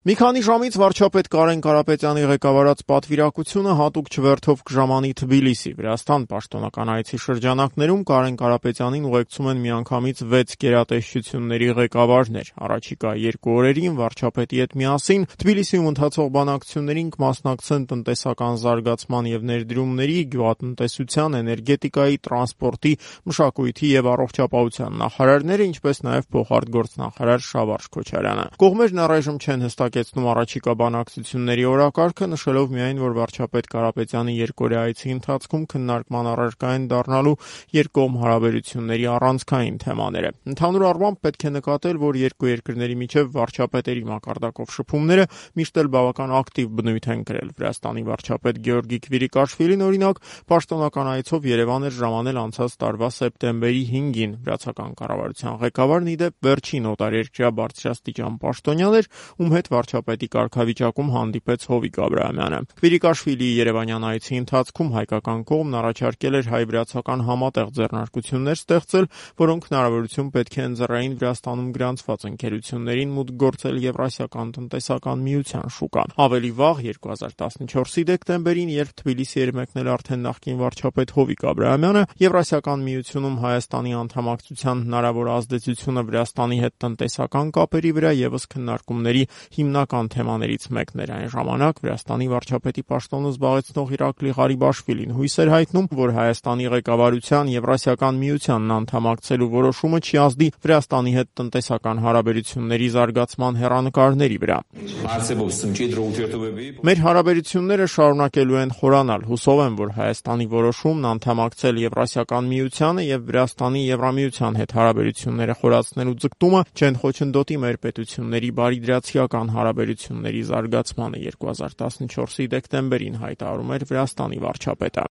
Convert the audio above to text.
Մի քանի ժամից վարչապետ Կարեն Կարապետյանի ղեկավարած պատվիրակությունը հատուկ չվերթով կժամանի Թբիլիսի, Վրաստան պաշտոնական այցի շրջանակներում Կարեն Կարապետյանին ուղեկցում են միանգամից 6 գերատեսչությունների ղեկավարներ։ Առաջիկա 2 օրերին վարչապետի հետ միասին Թբիլիսիում ընթացող բանակցություններին կմասնակցեն տնտեսական զարգացման եւ ներդրումների, գյուղատնտեսության, էներգետիկայի, տրանսպորտի, մշակույթի եւ առողջապահության նախարարները, ինչպես նաեւ փոխարտգործնախարար Շավարժ Քոչարյանը։ Կողմերն առայժմ չեն հստակեցնում առաջիկա բանակցությունների օրակարգը, նշելով միայն, որ վարչապետ Կարապետյանի երկօրյա այցի ընթացքում քննարկման առարկա են դառնալու երկկողմ հարաբերությունների առանցքային թեմաները։ Ընդհանուր առմամբ պետք է նկատել, որ երկու երկրների միջև վարչապետերի մակարդակով շփումները միշտ էլ բավական ակտիվ բնույթ են կրել։ Վրաստանի վարչապետ Գեորգի Քվիրիկաշվիլին, օրինակ, պաշտոնական այցով Երևան էր ժամանել անցած տարվա սեպտեմբերի 5-ին։ Վրացական կառավարության ղեկավարն, ի դեպ, վերջին օտարերկրյա բարձրաստիճան պաշտոնյան էր, ում հետ վարչապետի կարգավիճակում հանդիպեց Հովիկ Աբրահամյանը։ Քվիրիկաշվիլիի երևանյան այցի ընթացքում հայկական կողմն առաջարկել էր հայ-վրացական համատեղ ձեռնարկություններ ստեղծել, որոնք հնարավորություն պետք է ընձեռային Վրաստանում գրանցված ընկերություններին մուտք գործել Եվրասիական տնտեսական միության շուկա։ Ավելի վաղ, 2014-ի դեկտեմբերին, երբ Թբիլիսի էր մեկնել արդեն նախկին վարչապետ Հովիկ Աբրահամյանը, Եվրասիական միությունում Հայաստանի անդամակցության հնարավոր ազդեցությունը Վրաստանի հետ տնտեսական կապերի վրա ևս քննարկումների հիմնական թեմաներից մեկն էր։ Այն ժամանակ Վրաստանի վարչապետի պաշտոնը զբաղեցնող Իրակլի Ղարիբաշվիլին հույս էր հայտնում, որ Հայաստանի ղեկավարության Եվրասիական միությանն անդամակցելու որոշումը չի ազդի Վրաստանի հետ տնտեսական հարաբերությունների զարգացման հեռանկարների վրա։ Մեր հարաբերությունները շարունակելու են խորանալ։ Հուսով եմ, որ Հայաստանի որոշումն անդամակցել Եվրասիական միությանը եւ Վրաստանի Եվրամիության հետ հարաբերությունները խորացնելու ձգտումը չեն խոչընդոտի մեր պետությունների բարիդրացիական հարաբերությունների զարգացմանը, 2014-ի դեկտեմբերին հայտարարում էր Վրաստանի վարչապետը։